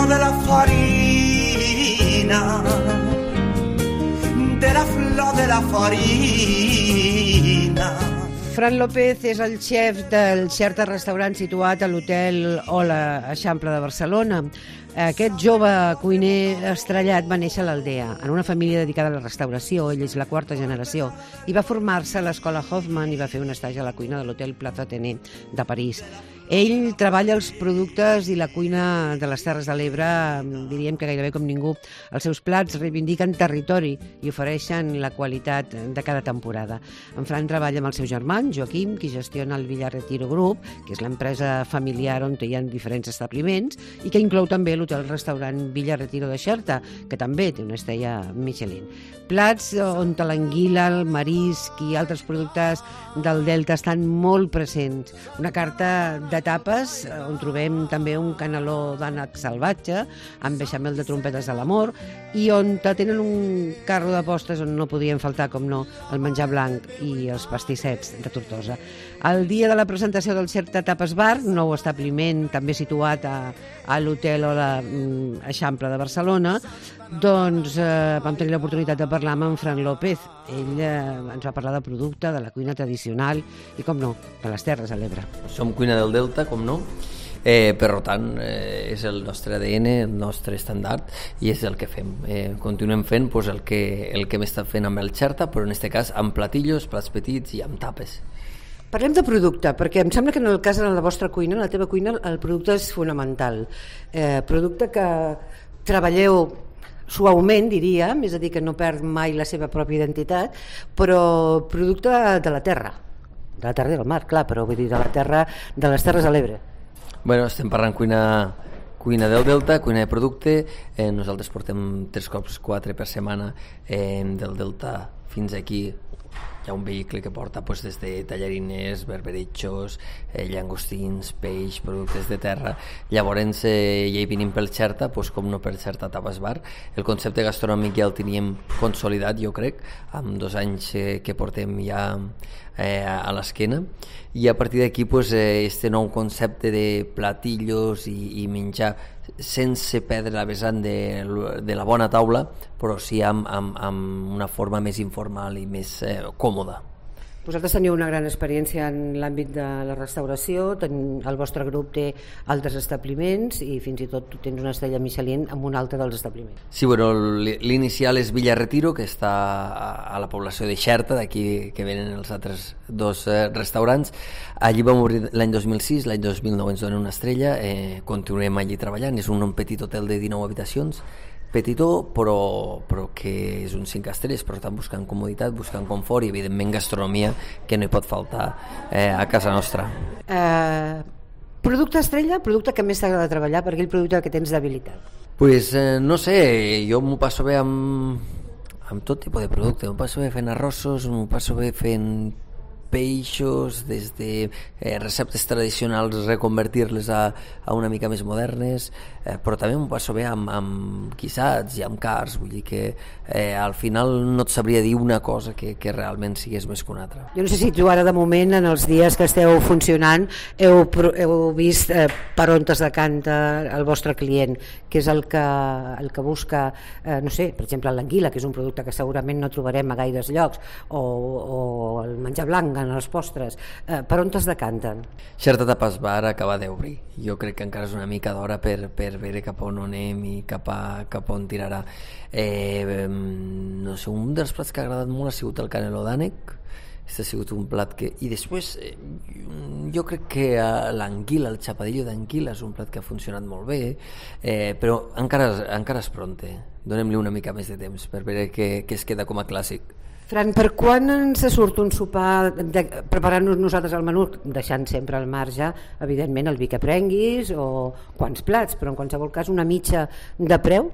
flor de la farina, de la flor de la farina. Fran López és el xef del Xerta restaurant situat a l'hotel Ola Eixample de Barcelona. Aquest jove cuiner estrellat va néixer a l'Aldea, en una família dedicada a la restauració. Ell és la quarta generació i va formar-se a l'escola Hoffman i va fer un estatge a la cuina de l'hotel Plaza Athénée de París. Ell treballa els productes i la cuina de les Terres de l'Ebre, diríem que gairebé com ningú. Els seus plats reivindiquen territori i ofereixen la qualitat de cada temporada. En Fran treballa amb el seu germà, Joaquim, qui gestiona el Villa Retiro Group, que és l'empresa familiar on hi ha diferents establiments i que inclou també l'hotel-restaurant Villa Retiro de Xerta, que també té una estrella Michelin. Plats on l'anguila, el marisc i altres productes del Delta estan molt presents. Una carta de tapes on trobem també un caneló d'ànec salvatge amb beixamel de trompetes de l'amor i on tenen un carro de postres on no podien faltar, com no, el menjar blanc i els pastissets de Tortosa. El dia de la presentació del Xerta Tapes Bar, nou establiment també situat a l'hotel Ola Eixample de Barcelona, doncs vam tenir l'oportunitat de parlar amb en Fran López. Ell ens va parlar de producte, de la cuina tradicional i, com no, de les Terres de l'Ebre. Som cuina del Delta, com no? Per tant, és el nostre ADN, el nostre estàndard, i és el que fem. Continuem fent el que hem estat fent amb el Xerta, però en aquest cas amb platillos, plats petits i amb tapes. Parlem de producte, perquè em sembla que en el cas de la vostra cuina, en la teva cuina, el producte és fonamental. Producte que treballeu suaument, diríem, és a dir, que no perd mai la seva pròpia identitat, però producte de la terra i del mar, clar, però vull dir de la terra, de les Terres de l'Ebre. Bueno, estem parlant cuina del Delta, cuina de producte. Nosaltres portem 3 cops 4 per setmana del Delta fins aquí. Hi ha un vehicle que porta des de tallarines, berberitxos, llangostins, peix, productes de terra. Llavors, ja hi venim pel Xerta, com no per Xerta Tapes Bar. El concepte gastronòmic ja el teníem consolidat, jo crec, amb 2 anys que portem ja a l'esquena, i a partir d'aquí este nou concepte de platillos i menjar sense perdre la vessant de la bona taula, però sí amb una forma més informal i més còmoda. Vosaltres teniu una gran experiència en l'àmbit de la restauració, el vostre grup té altres establiments i fins i tot tu tens una estrella Michelin en un altre dels establiments. Sí, bueno, l'inicial és Villa Retiro, que està a la població de Xerta, d'aquí que venen els altres 2 restaurants. Allí vam obrir l'any 2006, l'any 2009 ens donen una estrella, continuem allí treballant, és un petit hotel de 19 habitacions, petitó, però que és un 5 estrelles, per tant buscant comoditat, buscant confort i evidentment gastronomia, que no hi pot faltar a casa nostra. Producte estrella, producte que més t'agrada treballar, per aquell producte que tens d'habilitat? Pues no sé, jo m'ho passo bé amb tot tipus de producte, m'ho passo bé fent arrossos, m'ho passo bé fent peixos, des de receptes tradicionals reconvertir-les a una mica més modernes, però també m'ho passo bé amb guisats i amb cars, vull dir que al final no et sabria dir una cosa que realment sigués més que una altra. Jo no sé si tu ara de moment, en els dies que esteu funcionant, heu vist per on es decanta el vostre client, que és el que busca, no sé, per exemple l'anguila, que és un producte que segurament no trobarem a gaires llocs, o el menjar blanc en els postres, per on es decanten? Xerta Tapes Bar acaba d'obrir, jo crec que encara és una mica d'hora per veure cap on anem i cap on tirarà. No sé, un dels plats que ha agradat molt ha sigut el caneló d'ànec. Aquest ha sigut un plat que... I després jo crec que l'anguila, el xapadillo d'anguila és un plat que ha funcionat molt bé, però encara és pronte. Donem-li una mica més de temps per veure què es queda com a clàssic. Fran, per quan ens surt un sopar preparant-nos nosaltres el menú, deixant sempre al marge, evidentment, el vi que prenguis o quants plats, però en qualsevol cas una mitja de preu?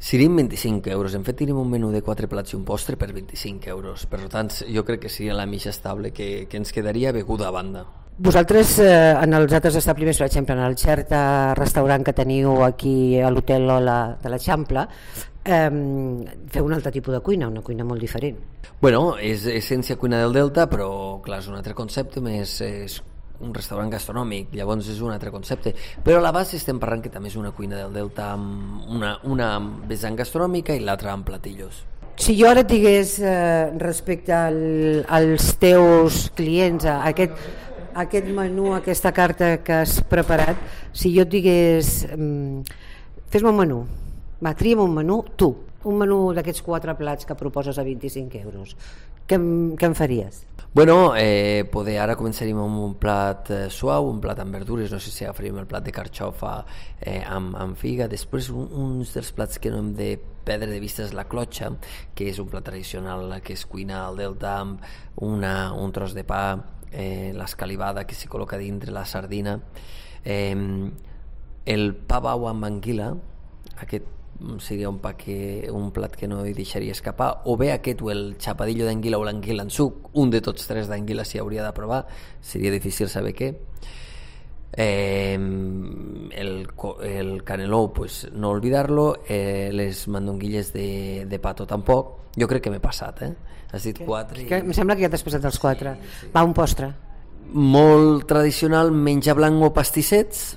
Serien 25 euros. En fet, tenim un menú de 4 plats i un postre per 25 euros. Per tant, jo crec que seria la mitja estable que ens quedaria beguda a banda. Vosaltres, en els altres establiments, per exemple, en el Xerta restaurant que teniu aquí a l'hotel Ola de l'Eixample, feu un altre tipus de cuina, una cuina molt diferent. Bueno, és essència cuina del Delta, però clar, és un altre concepte més un restaurant gastronòmic, llavors és un altre concepte, però a la base estem parlant que també és una cuina del Delta amb una vessant gastronòmica i l'altra amb platillos. Si jo ara et digués respecte als teus clients, a aquest menú, aquesta carta que has preparat, si jo et digués fes-me un menú, tria'm un menú tu, un menú d'aquests 4 plats que proposes a 25 euros, què em faries? Bueno, poder ara començaríem amb un plat suau, un plat amb verdures, no sé si agafaríem el plat de carxofa amb figa. Després un dels plats que no hem de perdre de vista és la clotxa, que és un plat tradicional que es cuina al Delta amb un tros de pa, l'escalivada que s'hi col·loca dintre, la sardina, el pa bau amb anguila, aquest seria un plat que no hi deixaria escapar, o bé aquest o el xapadillo d'anguila o l'anguila en suc, un de tots 3 d'anguila s'hi hauria de provar, seria difícil saber què. El caneló, pues no olvidar-lo, les mandonguilles de pato tampoc. Jo crec que m'he passat, has dit 4 em sembla que ja t'has passat els 4. Sí. Va, un postre molt tradicional, menjar blanc o pastissets,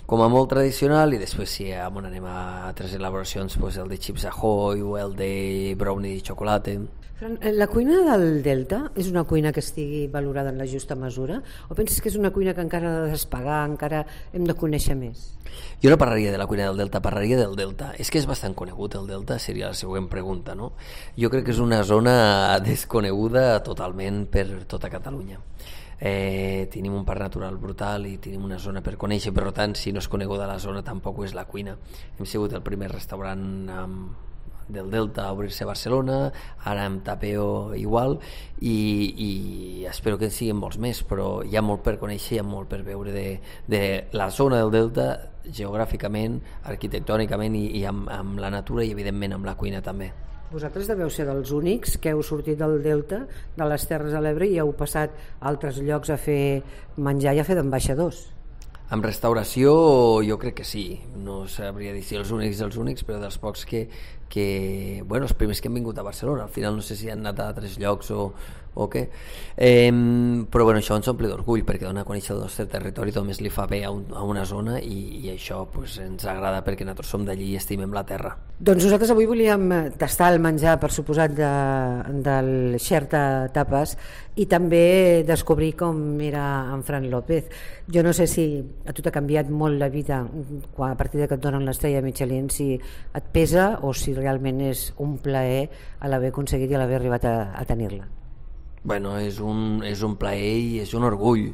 com a molt tradicional, i després si anem a altres elaboracions, pues el de Chips Ahoy o el de brownie de xocolata. La cuina del Delta és una cuina que estigui valorada en la justa mesura, o penses que és una cuina que encara ha de despegar, encara hem de conèixer més? Jo no parlaria de la cuina del Delta, parlaria del Delta. És que és bastant conegut el Delta, seria la següent pregunta, no? Jo crec que és una zona desconeguda totalment per tota Catalunya. Tenim un parc natural brutal i tenim una zona per conèixer, per tant, si no és coneguda la zona tampoc és la cuina. Hem sigut el primer restaurant del Delta a obrir-se a Barcelona, ara amb Tapeo igual, i espero que en siguin molts més, però hi ha molt per conèixer, hi ha molt per veure de la zona del Delta geogràficament, arquitectònicament i amb la natura i evidentment amb la cuina també. Vosaltres deveu ser dels únics que heu sortit del Delta, de les Terres de l'Ebre, i heu passat a altres llocs a fer menjar i a fer d'ambaixadors. En restauració jo crec que sí, no sabria dir si els únics, però dels pocs que els primers que han vingut a Barcelona, al final no sé si han anat a altres llocs o què, però això ens omple d'orgull perquè dona a conèixer el nostre territori, només li fa bé a una zona i això ens agrada perquè nosaltres som d'allí i estimem la terra. Doncs nosaltres avui volíem tastar el menjar, per suposat, del Xerta Tapes i també descobrir com era en Fran López. Jo no sé si a tu t'ha canviat molt la vida a partir que et donen l'estrella Michelin, si et pesa o si realment és un plaer a l'haver aconseguit i a l'haver arribat a tenir-la. Bueno, és un plaer i és un orgull.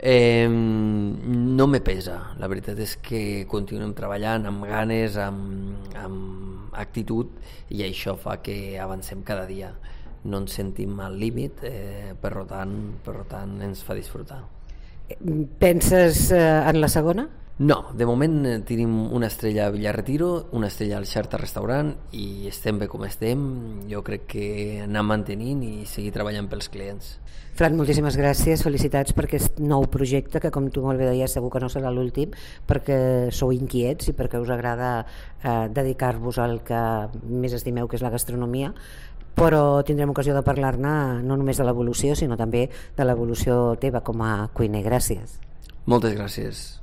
No me pesa, la veritat és que continuem treballant amb ganes, amb actitud, i això fa que avancem cada dia, no ens sentim al límit, per tant ens fa disfrutar. Penses en la segona? No, de moment tenim una estrella a Villarretiro, una estrella al Xerta Restaurant i estem bé com estem. Jo crec que anar mantenint i seguir treballant pels clients. Fran, moltíssimes gràcies, felicitats per aquest nou projecte que, com tu molt bé deies, segur que no serà l'últim, perquè sou inquiets i perquè us agrada dedicar-vos al que més estimeu, que és la gastronomia, però tindrem ocasió de parlar-ne no només de l'evolució, sinó també de l'evolució teva com a cuiner. Gràcies. Moltes gràcies.